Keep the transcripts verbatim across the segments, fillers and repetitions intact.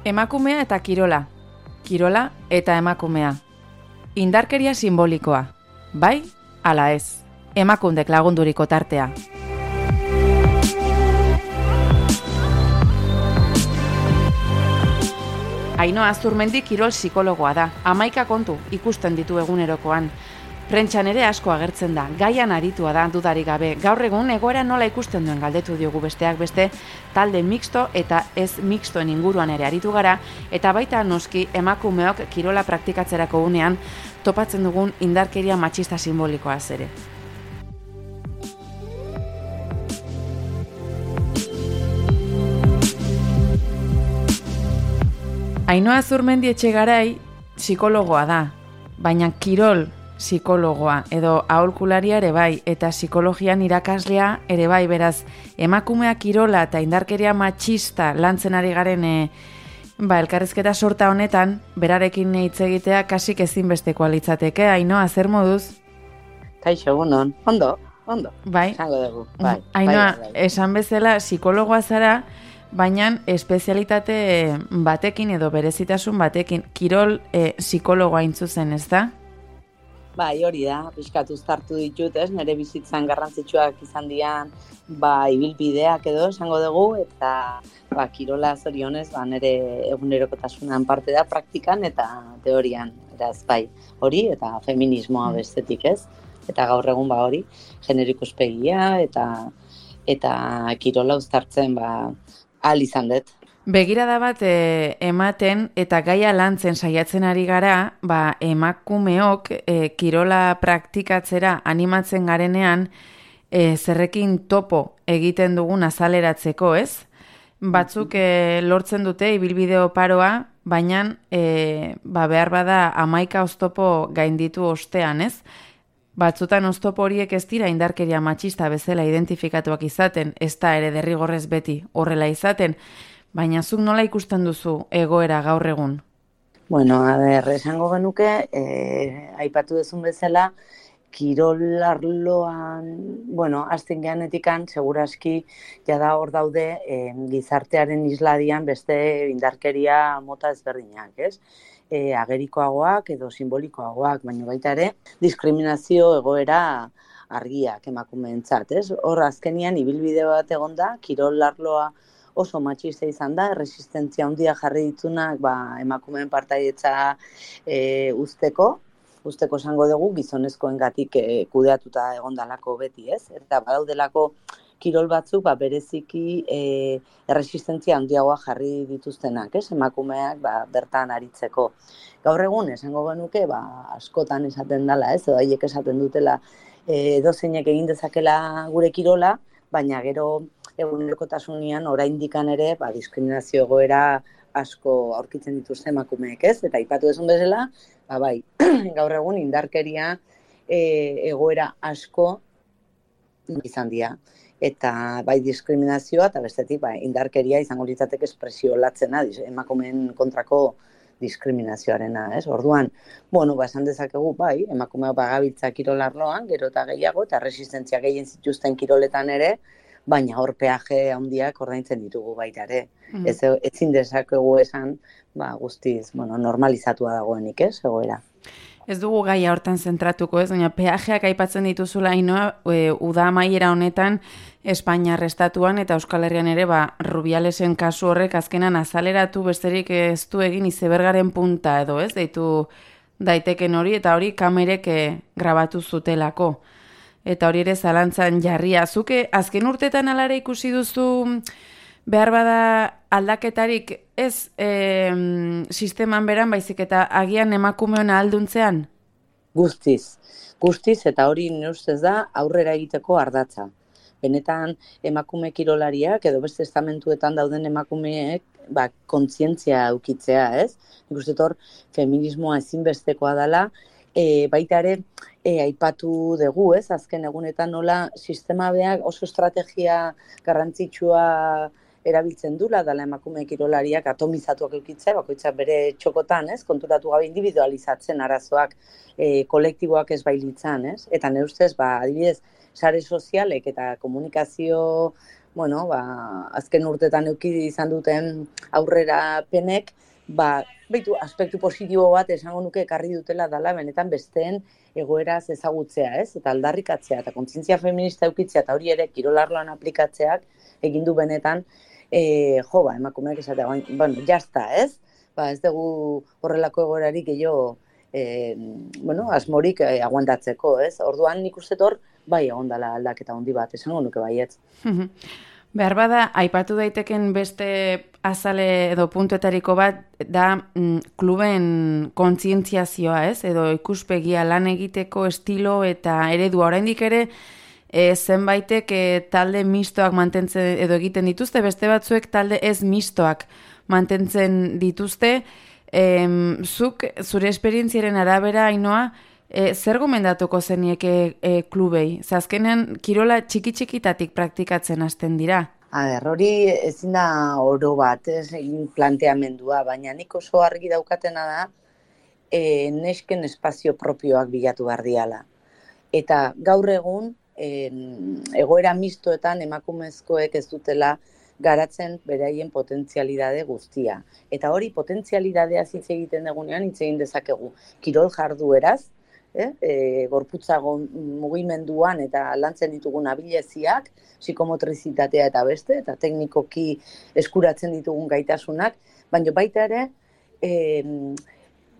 Emakumea eta kirola. Kirola eta emakumea. Indarkeria simbolikoa. Bai, ala ez. Emakundek lagunduriko tartea. Ainhoa Azurmendi kirol psikologoa da. Hamaika kontu ikusten ditu egunerokoan. Prentxan ere asko agertzen da, gaian aritua da dudarik gabe. Gaur egun egoera nola ikusten duen galdetu diogu besteak beste, talde mixto eta ez mixtoen inguruan ere aritu gara, eta baita noski emakumeok kirola praktikatzerako unean topatzen dugun indarkeria matxista simbolikoaz ere. Ainhoa Azurmendi Etxegarai psikologoa da, baina kirol psikologoa edo aholkularia ere bai, eta psikologian irakaslea ere bai, beraz, emakumea kirola eta indarkeria matxista lantzen ari garen e, ba, elkarrizketa sorta honetan, berarekin hitz egitea kasik ezinbestekoa litzateke. Ainhoa, zer moduz? Kaixo, egunon, ondo, ondo, bai. Esango dugu, bai. Ainhoa, bai, bai. esan bezala psikologoa zara, baina espezialitate batekin edo berezitasun batekin, kirol e, psikologoa intzuzen, ez da? Bai, hori da, pixkat uztartu ditut, ez, nire bizitzan garrantzitsuak izan dian, ba, ibilbideak edo esango dugu, eta ba, kirola zorionez, ba, nire egunerokotasunan parte da praktikan eta teorian, eraz, bai, hori, eta feminismoa bestetik, ez, eta gaur egun, ba, hori, genero ikuspegia, eta, eta kirola uztartzen, ba, ahal izan dut. Begirada bat e, ematen eta gaia lantzen saiatzen ari gara, ba, emakumeok e, kirola praktikatzera animatzen garenean e, zerrekin topo egiten dugun azaleratzeko, ez? Batzuk e, lortzen dute ibilbide oparoa, baina e, ba, behar bada hamaika oztopo gainditu ostean, ez? Batzutan oztopo horiek ez dira indarkeria matxista bezala identifikatuak izaten, ez da ere derrigorrez beti horrela izaten, baina zuk nola ikusten duzu egoera gaur egun? Bueno, a ber, esango genuke, eh, aipatu duzun bezala, kirol arloan, bueno, azten geanetikan, seguraski, jada hor daude eh, gizartearen isladian beste indarkeria mota ezberdinak, ez? E, agerikoagoak edo simbolikoagoak, baina baita ere, diskriminazio egoera argiak emakumeentzat, ez? Hor azkenian ibilbide bat egonda, kirol arloa oso matxista izan da, erresistentzia handia jarri ditunak ba, emakumeen partaidetza e, usteko, usteko esango dugu gizonezkoengatik e, kudeatuta egondalako beti, ez? Eta badaudelako kirol batzuk ba, bereziki e, erresistentzia handiagoa jarri dituztenak, ez? Emakumeak ba, bertan aritzeko. Gaur egun esango genuke ba, askotan esaten dela, ez? Edo haiek esaten dutela e, edozeinek egin dezakela gure kirola, baina gero egunerokotasunean oraindikan ere ba, diskriminazio egoera asko aurkitzen dituzte emakumeek, ez? Eta aipatu duzun bezala, ba, bai, gaur egun indarkeria e, egoera asko izan dira. Eta bai diskriminazioa eta bestetik ba, indarkeria izango litzateke espresio latzena emakumeen kontrako diskriminazioarena, ez? Orduan, bueno, ba, esan dezakegu, bai, emakumeak bagabiltza kirol arloan, gero eta gehiago, eta resistentzia gehien zituzten kiroletan ere, baina hor peaje handiak ordaintzen ditugu baita ere. Mm. Ez, ezin dezakegu esan, ba, guztiz, bueno, normalizatua dagoenik, ez, egoera. Ez dugu gaia hortan zentratuko, ez, baina peajeak aipatzen dituzula Ainhoa, e, uda amaiera honetan Espainiar estatuan eta Euskal Herrian ere, ba, Rubialesen kasu horrek azkenan azaleratu besterik ez du egin izebergaren punta edo, ez, deitu daiteken hori, eta hori kamerek grabatu zutelako. Eta hori ere zalantzan jarria. Zuke azken urtetan alare ikusi duzu behar bada aldaketarik ez e, sisteman beran baizik eta agian emakumeon ahalduntzean? Guztiz. Guztiz eta hori nire ustez da aurrera egiteko ardatza. Benetan emakume kirolariak edo beste estamentuetan dauden emakumeek ba, kontzientzia eukitzea, ez? Nik uste hor feminismoa ezinbestekoa dela, e, baita ere e, aipatu dugu, ez? Azken egunetan nola sistema beak oso estrategia garrantzitsua erabiltzen dula, dala emakume kirolariak atomizatuak eukitzea, bakoitzak bere txokotan, ez? Konturatu gabe individualizatzen arazoak e, kolektiboak ez bailitzan, ez? Eta nire ustez, ba, adibidez, sare sozialek eta komunikazio bueno, ba, azken urtetan euki izan duten aurrera penek, ba, beitu, aspektu positibo bat esango nuke ekarri dutela dala benetan besteen egoeraz ezagutzea, ez? Eta aldarrikatzea, eta kontzientzia feminista eukitzea, eta hori ere kirolarloan aplikatzeak egin du benetan, e, jo, ba, emakumeak esatea, bueno, jazta, ez? Ba, ez dugu horrelako egoerarik gehiago, e, bueno, asmorik e, aguantatzeko, ez? Orduan nik uste hor, bai egon dela aldaketa handi bat, esango nuke baietz. Behar bada, aipatu daiteken beste azale edo puntuetariko bat da mm, kluben kontzientziazioa, ez? Edo ikuspegia lan egiteko estilo eta eredua. Oraindik ere e, zenbaitek e, talde mistoak mantentzen edo egiten dituzte, beste batzuek talde ez mistoak mantentzen dituzte. E, zuk, zure esperientziaren arabera, Ainoa, E, zer gomendatuko zenieke e, klubei? Zazkenean, kirola txiki-txikitatik praktikatzen hasten dira? A ber, hori ezin da oro bat, ez egin planteamendua, baina nik oso argi daukatena da e, nesken espazio propioak bilatu behar diala. Eta gaur egun, e, egoera mistoetan emakumezkoek ez dutela garatzen beraien potentzialidade guztia. Eta hori potentzialidadea hitz egiten dugunean hitz egin dezakegu. Kirol jardueraz, Eh? E, gorputzago mugimenduan eta lantzen ditugun abileziak, psikomotrizitatea eta beste, eta teknikoki eskuratzen ditugun gaitasunak, baina baita ere, e,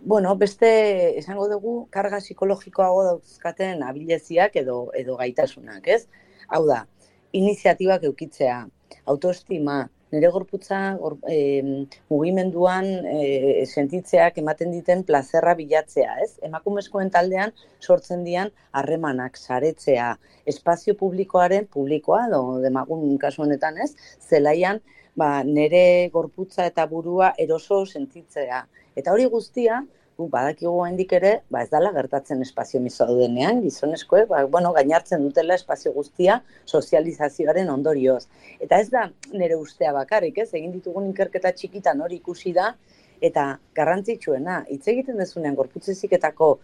bueno, beste esango dugu, karga psikologikoago dauzkaten abileziak edo, edo gaitasunak, ez? Hau da, iniziatibak eukitzea, autoestima, nire gorputza gor, e, mugimenduan e, sentitzeak ematen diten plazerra bilatzea, ez? Emakumezkoen taldean sortzen dian harremanak, saretzea, espazio publikoaren publikoa, edo demagun kasu honetan, ez? Zelaian, ba, nire gorputza eta burua eroso sentitzea. Eta hori guztia, badakigu oraindik ere, ba ez dela gertatzen espazio miso daudenean, gizonezkoek, ba, bueno, gainartzen dutela espazio guztia sozializazioaren ondorioz. Eta ez da nire ustea bakarrik, ez? Egin ditugun ikerketa txikitan hori ikusi da, eta garrantzitsuena, hitz egiten dezunean gorputz heziketako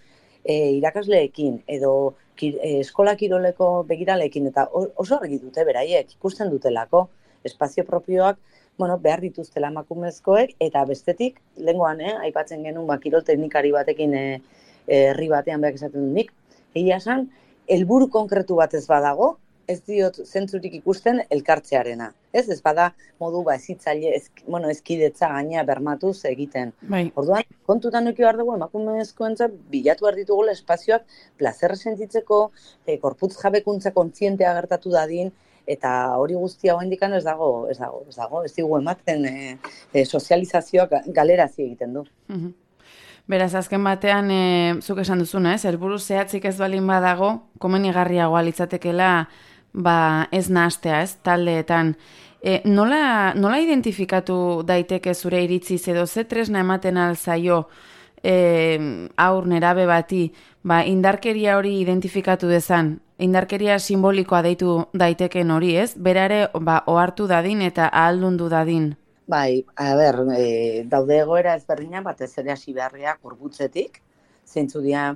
e, irakasleekin, edo ki, e, eskola kiroleko begiraleekin, eta oso argi dute beraiek, ikusten dutelako espazio propioak, bueno, behar dituztela emakumezkoek, eta bestetik, lehengoan, eh, aipatzen genuen, ba, kirol teknikari batekin eh, herri batean behar esaten dut nik, egia esan, helburu konkretu bat ez badago, ez diot zentzurik ikusten elkartzearena. Ez, ez bada modu ba ezitzaile, ez, bueno, ezkidetza gaina bermatuz egiten. Bai. Orduan, kontutan eduki behar dugu, emakumezkoentzat bilatu behar ditugula espazioak plazerra sentitzeko, eh, gorputz jabekuntza kontzientea gertatu dadin, eta hori guztia oraindik ez dago, ez dago, ez dago, ez digu ematen e, e, sozializazioak galerazi egiten du. Mhm. Beraz, azken batean, e, zuk esan duzuna, ez? Helburu zehatzik ez balin badago, komenigarriagoa litzatekela, ba, ez nahastea, ez? Taldeetan. E, nola, nola identifikatu daiteke zure iritziz edo ze tresna ematen alzaio e, aur nerabe bati, ba, indarkeria hori identifikatu dezan, indarkeria simbolikoa deitu daiteken hori, ez? Berare, ba, ohartu dadin eta ahaldundu dadin. Bai, a ber, e, daude egoera ezberdinak batez ere hasi beharriak gorbutzetik, zeintzu dira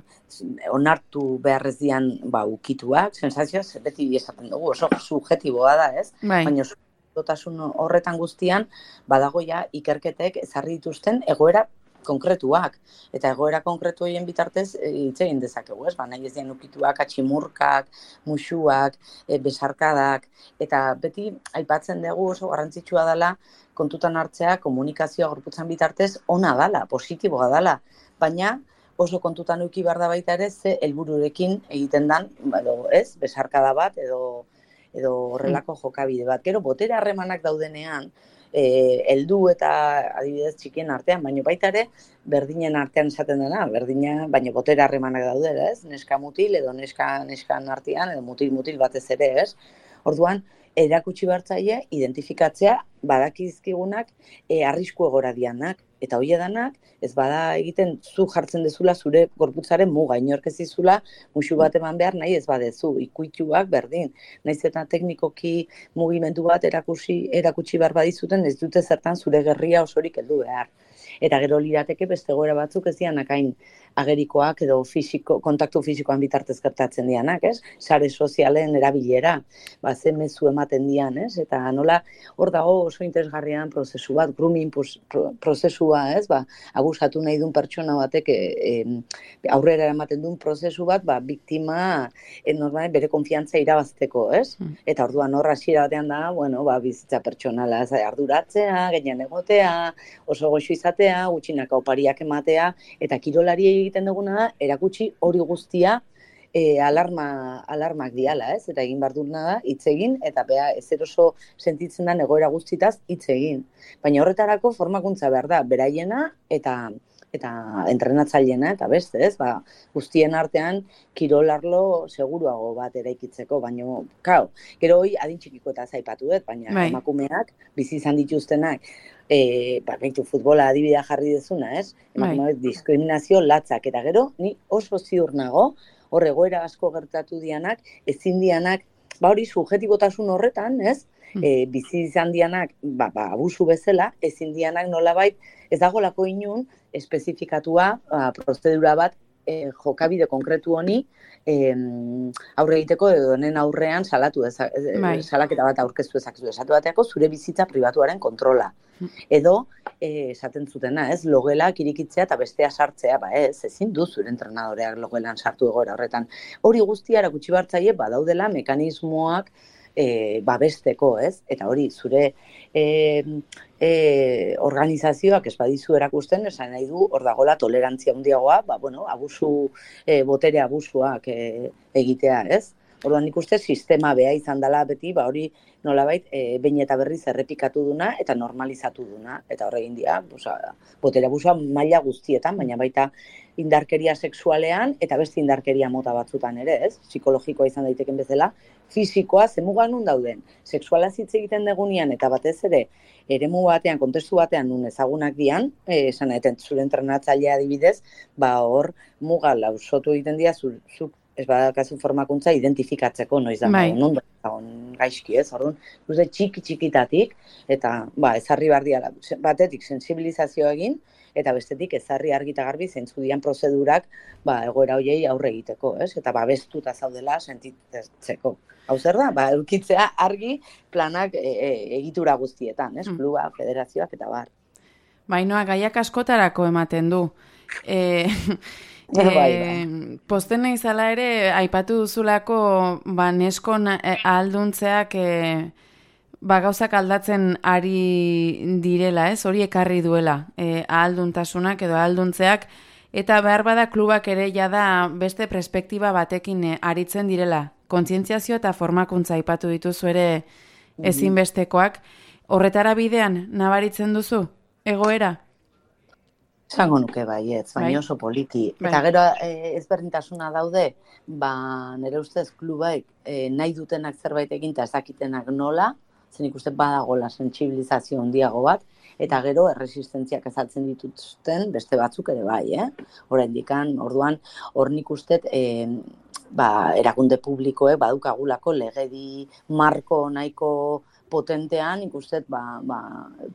onartu beharrez dian ba, ukituak, sensazioz, beti esaten dugu, oso subjetiboa da, ez? Bai. Baina dotasun horretan guztian, badago ja ikerketek ezarri dituzten egoera konkretuak. Eta egoera konkretu horien bitartez hitz egin dezakegu, ez? Ba, nahi ez dien ukituak, atximurkak, musuak, e, besarkadak, eta beti aipatzen dugu oso garrantzitsua dela kontutan hartzea komunikazioa gorputzan bitartez ona dala, positiboa dala, baina oso kontutan eduki behar da baita ere ze helbururekin egiten dan, edo, ez, besarkada bat edo edo horrelako jokabide bat. Gero botere harremanak daudenean, eh, heldu eta adibidez txikien artean, baina baita ere berdinen artean esaten dena, berdina, baina botere harremanak daude, ez? Neska mutil edo neska neskan artean edo mutil mutil batez ere, ez? Orduan, erakutsi bertzaile identifikatzea badakizkigunak e, arrisku egora dianak. Eta hoi edanak, ez bada egiten zu jartzen dezula zure gorputzaren muga, inork ez dizula musu bat eman behar nahi ez badezu, ikuituak berdin. Naiz eta teknikoki mugimendu bat erakusi, erakutsi behar badizuten, ez dute zertan zure gerria osorik heldu behar. Eta gero lirateke beste egoera batzuk ez dianak hain agerikoak edo fisiko, kontaktu fisikoan bitartez gertatzen dianak, ez? Sare sozialen erabilera, ba, ze mezu ematen dian, ez? Eta nola hor dago oso interesgarrian prozesu bat, grooming prozesua, ez? Ba, abusatu nahi duen pertsona batek e, e, aurrera ematen duen prozesu bat, ba, biktima e, normal, bere konfiantza irabazteko, ez? Mm. Eta orduan hor hasiera batean da, bueno, ba, bizitza pertsonala arduratzea, gainean egotea, oso goxo izatea, gutxinaka opariak ematea, eta kirolari egiten duguna da, erakutsi hori guztia e, alarma, alarmak diala, ez? Eta egin behar duguna da, hitz egin, eta bea ezer oso sentitzen da egoera guztitaz hitz egin. Baina horretarako formakuntza behar da, beraiena eta eta entrenatzaileena eta beste, ez? Ba, guztien artean kirolarlo seguruago bat eraikitzeko, baina, kau, gero hoi adin txikiko eta zaipatu dut, baina bai. Emakumeak, bizi izan dituztenak, e, ba, baitu futbola adibidea jarri dezuna, ez? Emakumeak bai. Diskriminazio latzak, eta gero, ni oso ziur nago, hor egoera asko gertatu dianak, ezin dianak, ba hori subjetibotasun horretan, ez? E, bizi izan dianak, ba, ba, abusu bezala, ezin dianak nolabait, ez dagolako inun, espezifikatua, ba, prozedura bat, e, jokabide konkretu honi, e, aurre egiteko edo honen aurrean salatu ezak, bai. Salaketa bat aurkeztu ezak esatu bateako zure bizitza pribatuaren kontrola. Edo, e, esaten zutena, ez, logelak irikitzea eta bestea sartzea, ba ez, ezin du zure entrenadoreak logelan sartu egoera horretan. Hori guztia erakutsi bartzaile, badaudela mekanismoak e, babesteko, ez, eta hori zure e, e, organizazioak ez badizu erakusten, esan nahi du, hor dagoela tolerantzia handiagoa, ba, bueno, abusu, e, botere abusuak e, egitea, ez? Orduan nik uste sistema beha izan dela beti, ba hori nolabait e, behin eta berriz errepikatu duna eta normalizatu duna. Eta horregin dira, botere abusua maila guztietan, baina baita indarkeria sexualean eta beste indarkeria mota batzutan ere, ez? Psikologikoa izan daiteken bezala, fisikoa zemugan nun dauden. Sexuala hitz egiten degunean eta batez ere, eremu batean, kontestu batean nun ezagunak dian, e, esan eten zure entrenatzailea adibidez, ba hor muga lausotu egiten dira zuk ez badakazu formakuntza identifikatzeko noiz da, bai. Nondo dagoen gaizki, ez, orduan, uste txiki txikitatik, eta ba, ezarri behar diala, batetik sensibilizazio egin, eta bestetik ezarri argi eta garbi zeintzu dian prozedurak ba, egoera hoiei aurre egiteko, ez, eta babestuta zaudela sentitzeko. Hau zer da, ba, eukitzea argi planak e, e, egitura guztietan, ez, kluba, federazioak eta bar. Bainoa, gaiak askotarako ematen du. E... E, bai, bai. Posten izala ere, aipatu duzulako ba, neskon ahalduntzeak e, ba, gauzak aldatzen ari direla, ez? Hori ekarri duela, e, ahalduntasunak edo ahalduntzeak, eta behar bada klubak ere jada beste perspektiba batekin e, aritzen direla. Kontzientziazio eta formakuntza aipatu dituzu ere ezinbestekoak. Horretara bidean, nabaritzen duzu, egoera? Zango nuke baietz, baina oso politi. Bai. Eta gero e, ezberdintasuna daude, ba, nire ustez klubaik e, nahi dutenak zerbait egin eta ez dakitenak nola, zen ikusten badagola sentsibilizazio handiago bat, eta gero erresistentziak ezaltzen dituzten beste batzuk ere bai, eh? Oraindikan, orduan, hor nik ustet, e, ba, erakunde publikoek badukagulako legedi marko nahiko potentean, ikustet, ba, ba,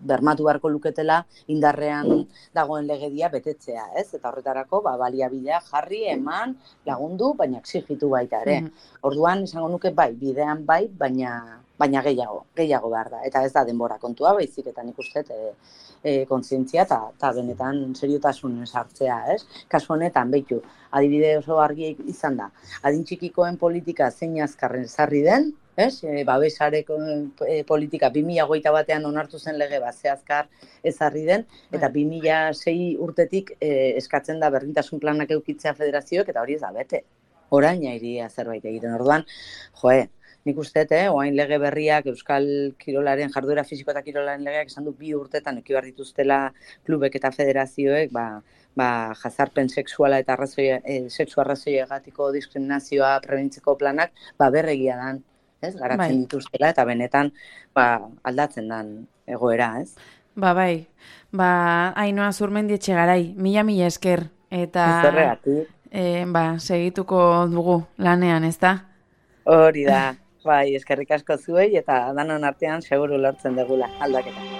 bermatu beharko luketela indarrean dagoen legedia betetzea, ez? Eta horretarako, ba, baliabidea jarri, eman, lagundu, baina exigitu baita ere. Mm-hmm. Orduan, esango nuke, bai, bidean bai, baina, baina gehiago, gehiago behar da. Eta ez da denbora kontua, baizik, eta nik ustet, e, e, kontzientzia eta benetan seriotasun sartzea, ez? Kasu honetan, behitu, adibide oso argi izan da, adin txikikoen politika zein azkarren sarri den, ez? E, babesareko e, politika bi mila hogeita batean onartu zen lege bat zehazkar ezarri den, eta bi mila sei urtetik e, eskatzen da berdintasun planak eukitzea federazioek, eta hori ez da bete. Orain iria zerbait egiten. Orduan, joe, nik uste, eh, oain lege berriak, Euskal Kirolaren, jarduera fisiko eta kirolaren legeak esan du bi urtetan eki behar dituztela klubek eta federazioek, ba, ba, jazarpen sexuala eta arrazoi, e, sexu arrazoiegatiko diskriminazioa prebenitzeko planak, ba, berregia dan. Ez, garatzen bai. Dituztela eta benetan ba, aldatzen dan egoera, ez? Ba, bai, ba, Ainhoa Zurmendietxe garai, mila mila esker, eta Zorregatik. e, ba, segituko dugu lanean, ez da? Hori da, bai, eskerrik asko zuei, eta danon artean seguru lortzen dugula aldaketa.